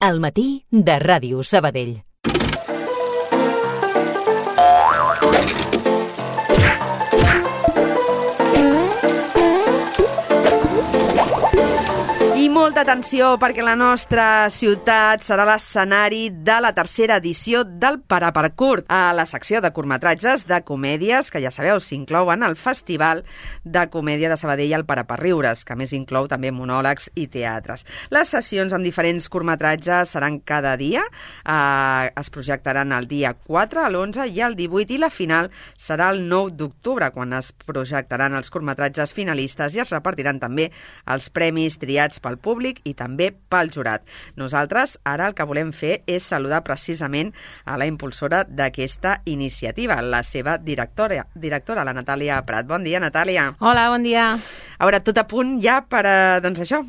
Al matí de Ràdio Sabadell. I molta atenció perquè la nostra ciutat serà l'escenari de la tercera edició del Paraparcurt, a la secció de curtmetratges de comèdies que ja sabeu s'inclouen al Festival de Comèdia de Sabadell al Paraparriures, que a més inclou també monòlegs i teatres. Les sessions amb diferents curtmetratges seran cada dia, es projectaran el dia 4, l'11 i el 18 i la final serà el 9 d'octubre, quan es projectaran els curtmetratges finalistes i es repartiran també els premis triats pel públic i també pel jurat. Nosaltres ara el que volem fer és saludar precisament a la impulsora d'aquesta iniciativa, la seva directora, la Natàlia Prat. Bon dia, Natàlia. Hola, bon dia. A veure, tot a punt ja per aquesta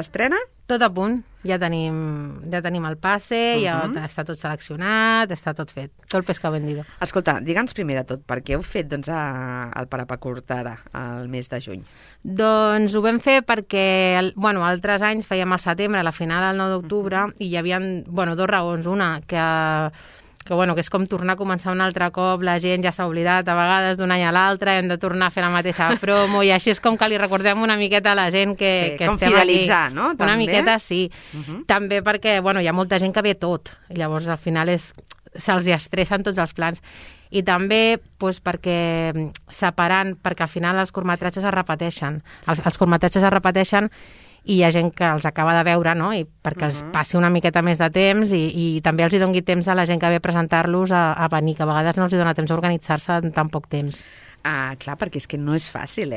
estrena? Tot a punt. Ja tenim el passe, ja està tot seleccionat, està tot fet. Tot el pescado vendido. Escolta, digue'ns primer de tot, per què heu fet el Paraparcurt ara, al mes de juny? Doncs ho vam fer perquè, altres anys fèiem al setembre, a la final del 9 d'octubre, i hi havia dues raons. Una, que és com tornar a començar un altre cop, la gent ja s'ha oblidat a vegades d'un any a l'altre, hem de tornar a fer la mateixa promo, i així és com que li recordem una miqueta a la gent que estem fidelitzar, aquí. No? Una També? Miqueta, sí. També perquè, hi ha molta gent que ve tot, i llavors al final se'ls estressen tots els plans. I també perquè separant, perquè al final els curtmetratges es repeteixen. Els curtmetratges es repeteixen i hi ha gent que els acaba de veure, no? I perquè els passi una miqueta més de temps i també els hi doni temps a la gent que ve a presentar-los a venir, que a vegades no els hi dona temps a organitzar-se en tan poc temps. Clar, perquè és que no és fàcil,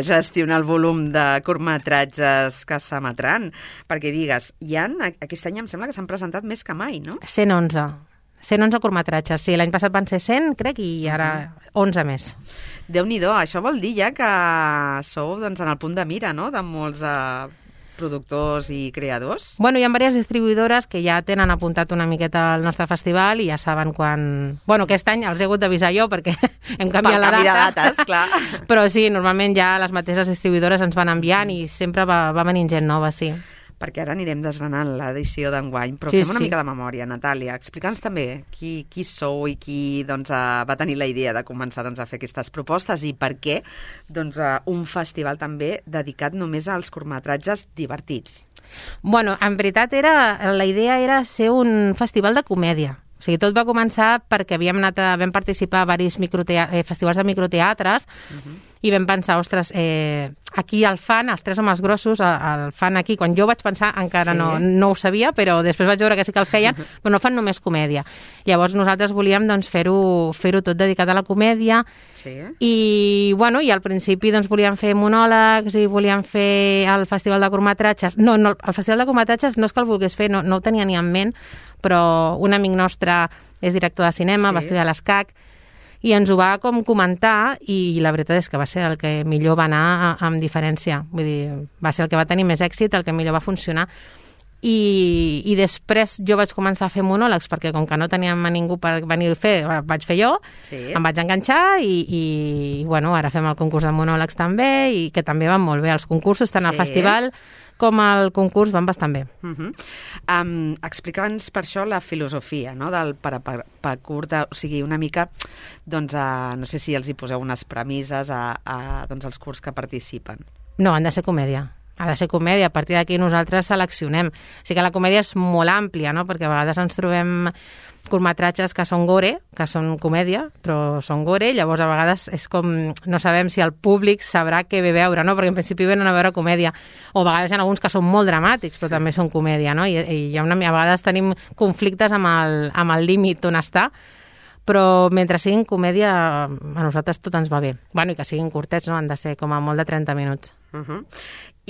gestionar el volum de curtmetratges que s'emetran. Perquè digues, aquest any em sembla que s'han presentat més que mai, no? 111 curtmetratges, sí, l'any passat van ser 100, crec, i ara 11 més. Déu-n'hi-do, això vol dir ja que sou en el punt de mira, no?, de molts productors i creadors. Hi ha diverses distribuïdores que ja tenen apuntat una miqueta al nostre festival i ja saben quan... aquest any els he hagut d'avisar jo perquè hem canviat la data. Per canvi de dates, clar. Però sí, normalment ja les mateixes distribuïdores ens van enviant i sempre va venint gent nova, sí. Perquè ara anirem desgranant l'edició d'enguany, però fem una mica de memòria, Natàlia. Explica'ns també qui sou i qui va tenir la idea de començar a fer aquestes propostes i per què un festival també dedicat només als curtmetratges divertits. En veritat la idea era ser un festival de comèdia. O sigui, tot va començar perquè vam participar a diversos festivals de microteatres i vam pensar, ostres, aquí el fan, els tres homes grossos, el fan aquí. Quan jo vaig pensar, encara no ho sabia, però després vaig veure que sí que el feien, però no fan només comèdia. Llavors nosaltres volíem fer-ho tot dedicat a la comèdia i al principi volíem fer monòlegs i volíem fer el festival de curtmetratges. No, el festival de curtmetratges no és que el volgués fer, no ho tenia ni en ment, però un amic nostre és director de cinema, va estudiar a l'ESCAC, i ens ho va comentar i la veritat és que va ser el que millor va anar amb diferència. Vull dir, va ser el que va tenir més èxit, el que millor va funcionar. I després jo vaig començar a fer monòlegs perquè com que no teníem a ningú per venir a fer, vaig fer jo, em vaig enganxar i ara fem el concurs de monòlegs també i que també van molt bé. Els concursos, tant al festival com el concurs, van bastant bé. Explica'ns per això la filosofia del Paraparcurt, o sigui, una mica, no sé si els hi poseu unes premisses als curts que participen. No, han de ser comèdia. Ha de ser comèdia, a partir d'aquí nosaltres seleccionem. O sigui que la comèdia és molt àmplia, no? Perquè a vegades ens trobem curtmetratges que són gore, que són comèdia, però són gore, llavors a vegades és com, no sabem si el públic sabrà què ve veure, no? Perquè en principi venen a veure comèdia. O a vegades hi ha alguns que són molt dramàtics, però també són comèdia, no? I a vegades tenim conflictes amb el límit on està, però mentre siguin comèdia a nosaltres tot ens va bé. I que siguin curtets, no? Han de ser com a molt de 30 minuts.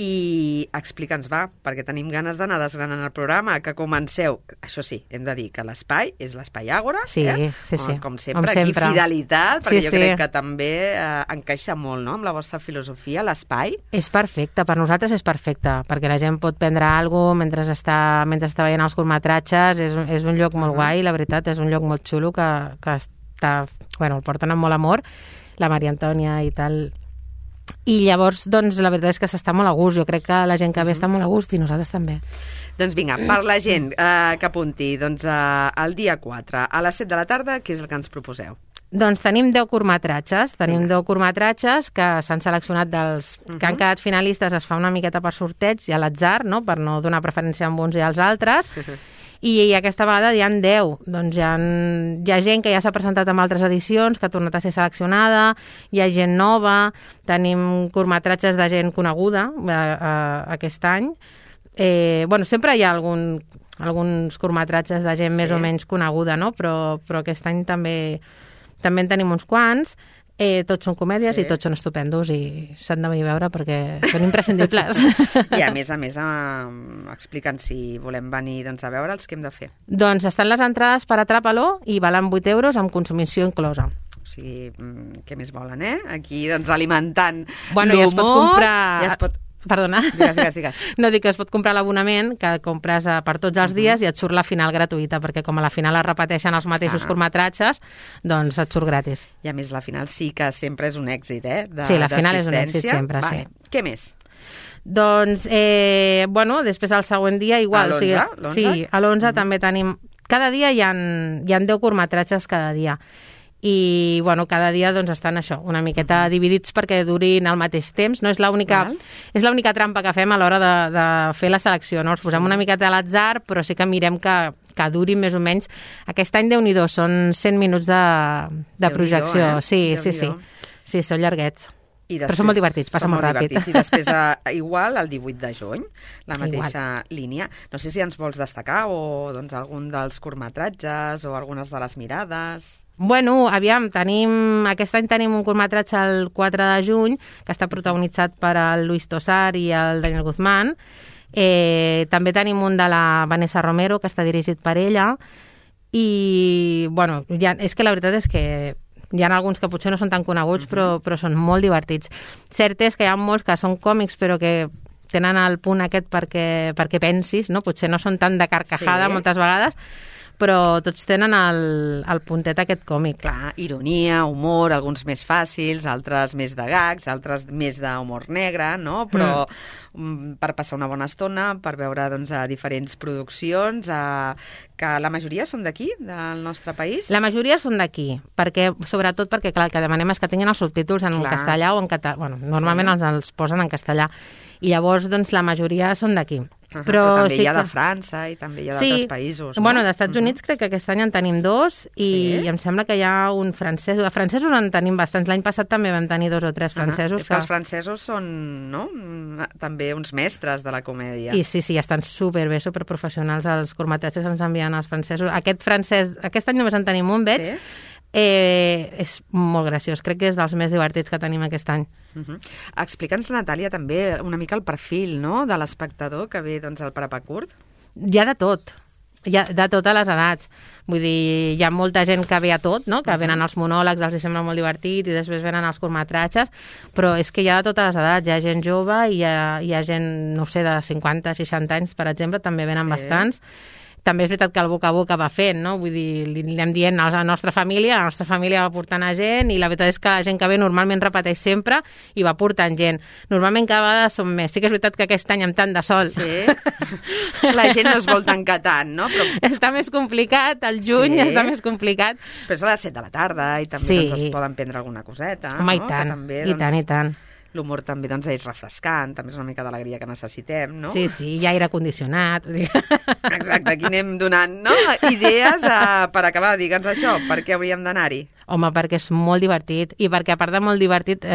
I explica'ns, perquè tenim ganes d'anar desgranant el programa, que comenceu, això sí, hem de dir que l'espai és l'espai Àgora, sí. Com sempre, aquí fidelitat, perquè jo crec que també encaixa molt, no?, amb la vostra filosofia, l'espai. És perfecte, per nosaltres és perfecte, perquè la gent pot prendre alguna cosa mentre està veient els curtmetratges, és un lloc molt guai, la veritat, és un lloc molt xulo que està, el porten amb molt amor, la Maria Antònia i tal. I llavors, doncs, la veritat és que s'està molt a gust. Jo crec que la gent que ve està molt a gust i nosaltres també. Doncs vinga, per la gent que apunti, doncs el dia 4, a les 7 de la tarda, què és el que ens proposeu? Doncs tenim 10 curtmetratges. Tenim 10 curtmetratges que s'han seleccionat dels que han quedat finalistes. Es fa una miqueta per sorteig i a l'atzar, no? Per no donar preferència a uns i als altres. I aquesta vegada hi ha 10. Doncs hi ha gent que ja s'ha presentat en altres edicions, que ha tornat a ser seleccionada, hi ha gent nova, tenim curtmetratges de gent coneguda aquest any. Sempre hi ha alguns curtmetratges de gent més o menys coneguda, no? Però aquest any també en tenim uns quants. Tots són comèdies i tots són estupendos i s'han de venir a veure perquè són imprescindibles. I a més, explica'ns si volem venir a veure els que hem de fer. Doncs estan les entrades per Atrapa-lo i valen 8 euros amb consumició inclosa. O sigui, què més volen, Aquí, alimentant l'humor. Ja es pot comprar... Perdona. Digues. No, dic que es pot comprar l'abonament, que compres per tots els dies i et surt la final gratuïta, perquè com a la final es repeteixen els mateixos curtmetratges, doncs et surt gratis. I a més, la final sí que sempre és un èxit, Sí, la final és un èxit sempre, sí. Què més? Doncs, després el següent dia igual. A l'11? Sí, a l'11 també tenim... Cada dia hi ha 10 curtmetratges cada dia. I, cada dia doncs estan una miqueta dividits perquè durin al mateix temps. No és l'única trampa que fem a l'hora de fer la selecció, no? Els posem una miqueta a l'atzar, però sí que mirem que durin més o menys. Aquest any, Déu-n'hi-do, són 100 minuts de projecció. Sí, són llarguets. Però són molt divertits, passa molt ràpid. I després, igual, el 18 de juny, la mateixa línia. No sé si ens vols destacar o algun dels curtmetratges o algunes de les mirades... Aviam, aquest any tenim un curtmetratge el 4 de juny que està protagonitzat per el Luis Tosar i el Daniel Guzmán. També tenim un de la Vanessa Romero que està dirigit per ella i, és que la veritat és que hi ha alguns que potser no són tan coneguts però són molt divertits. Cert és que hi ha molts que són còmics però que tenen el punt aquest perquè pensis, no? Potser no són tan de carcajada moltes vegades, però tots tenen el puntet aquest còmic. Clar, ironia, humor, alguns més fàcils, altres més de gags, altres més d'humor negre, no? Però per passar una bona estona, per veure diferents produccions, que la majoria són d'aquí, del nostre país? La majoria són d'aquí, sobretot perquè clar, el que demanem és que tinguin els subtítols en castellà o en català. Normalment els posen en castellà. I llavors, la majoria són d'aquí. Però també hi ha de França i també hi ha d'altres països. No? D'Estats Units crec que aquest any en tenim 2 i em sembla que hi ha un francès. De francesos en tenim bastants. L'any passat també vam tenir 2 o 3 francesos. És que els francesos són, no?, també uns mestres de la comèdia. I sí, estan superbé, superprofessionals els curtmetratges que ens envien els francesos. Aquest any només en tenim un, veig. És molt graciós. Crec que és dels més divertits que tenim aquest any. Explica'ns, Natàlia, també una mica el perfil, no?, de l'espectador que ve al Parapacurt. Hi ha de tot. Hi ha de totes les edats. Vull dir, hi ha molta gent que ve a tot, no?, que venen els monòlegs, els sembla molt divertit, i després venen els curtmetratges, però és que hi ha de totes les edats. Hi ha gent jove i hi ha gent, no sé, de 50, 60 anys, per exemple, també venen bastants. També és veritat que el boca a boca va fent, no? Vull dir, li anem dient a la nostra família va portant a gent i la veritat és que la gent que ve normalment repeteix sempre i va portant gent. Normalment cada vegada som més. Sí que és veritat que aquest any amb tant de sol... Sí, la gent no es vol tancar tant, no? Però... Està més complicat, el juny està més complicat. Però és a les 7 de la tarda i també es poden prendre alguna coseta. Home, i tant. L'humor també és refrescant, també és una mica d'alegria que necessitem, no? Sí, hi ha aire condicionat. Exacte, aquí anem donant, no?, idees per acabar. Digue'ns això, per què hauríem d'anar-hi? Home, perquè és molt divertit i perquè a part de molt divertit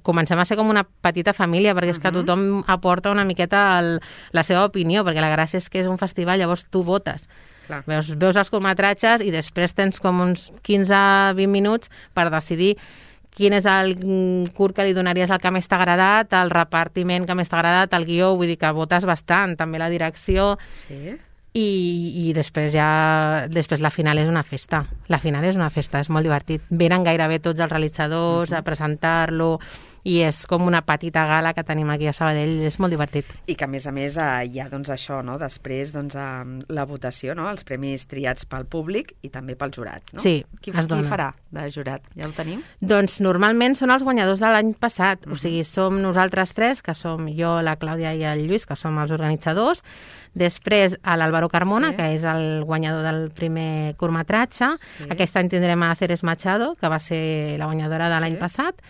comencem a ser com una petita família, perquè és que tothom aporta una miqueta la seva opinió, perquè la gràcia és que és un festival, llavors tu votes. Veus els curtmetratges i després tens com uns 15-20 minuts per decidir quin és el curt que li donaries el que més t'ha agradat, el repartiment que més t'ha agradat, el guió, vull dir que votes bastant, també la direcció. Sí. I després la final és una festa. La final és una festa, és molt divertit. Venen gairebé tots els realitzadors a presentar-lo i és com una petita gala que tenim aquí a Sabadell, és molt divertit. I que, a més, hi ha doncs, això, no? Després la votació, no? Els premis triats pel públic i també pels jurats. No? Sí, qui farà de jurat? Ja ho tenim? Doncs normalment són els guanyadors de l'any passat, o sigui, som nosaltres tres, que som jo, la Clàudia i el Lluís, que som els organitzadors. Després, l'Álvaro Carmona, que és el guanyador del primer curtmetratge. Aquest any tindrem a Ceres Machado, que va ser la guanyadora de l'any passat.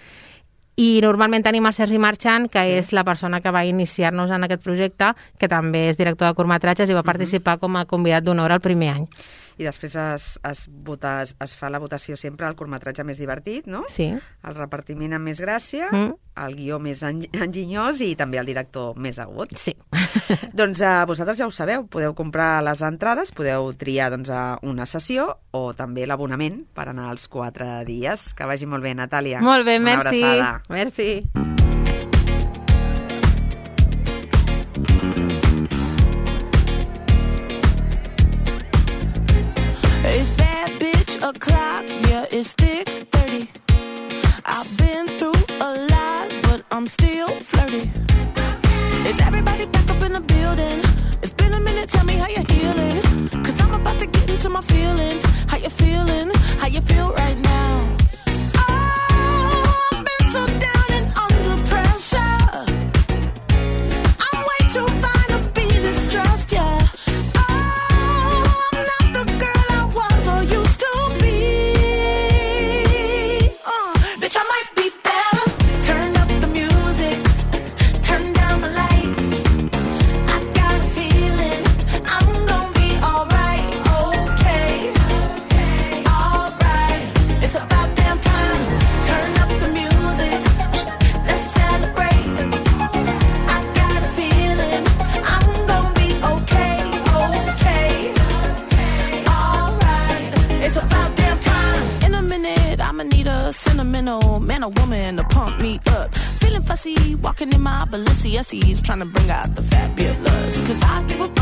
I normalment tenim el Sergi Marchant, que és la persona que va iniciar-nos en aquest projecte, que també és director de curtmetratges i va participar com a convidat d'honor el primer any. I després es fa la votació sempre al curtmetratge més divertit, no? Sí. El repartiment amb més gràcia, el guió més enginyós i també el director més agut. Sí. Doncs vosaltres ja ho sabeu, podeu comprar les entrades, podeu triar una sessió o també l'abonament per anar als 4 dies. Que vagi molt bé, Natàlia. Molt bé, merci. Una abraçada. Merci. It's bad bitch o'clock, yeah, it's thick 30. I've been through a lot, but I'm still flirty. Is everybody back up in the building? It's been a minute, tell me how you're healing. Cause I'm about to get into my feelings. How you feeling? How you feel right now? Oh, I've been so down and under pressure. I'm way too fine to be distressed, yeah. Man or woman to pump me up. Feeling fussy, walking in my Balenciennes, trying to bring out the fat bit lust. Cause I give up